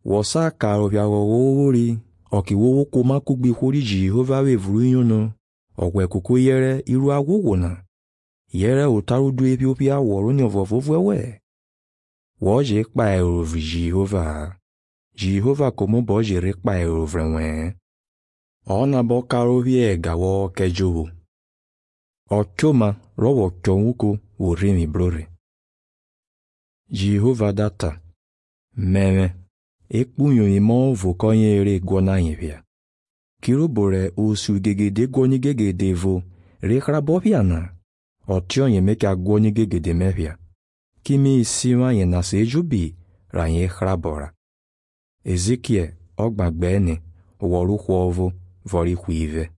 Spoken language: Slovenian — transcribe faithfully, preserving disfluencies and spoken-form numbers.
Wosa karo vya wowori, oki wowo koma kugbi hori Jehova we vuru yono, ogwe kuku yere iru agwogona. Yere utarudu Ethiopia woro ni ovovovwewe. Woje kpa erovri Jehova. Jehova komo boje rekpa erovrenwe. Ona bo karo vie gawo kejowo. Ochoma rowo chonwuko worimi brore. Jehova data. Meme. Ekpunyo imo vokonye ere gona yevia. Kirobore osu gegede goni gegede vo. Rekra bopiana. Otionye meka goni gegede mevia. Kimi isiwa ye na sejubi. Ranye krabora. Ezekiel ogbagbene. Woru huovo. Vori huive.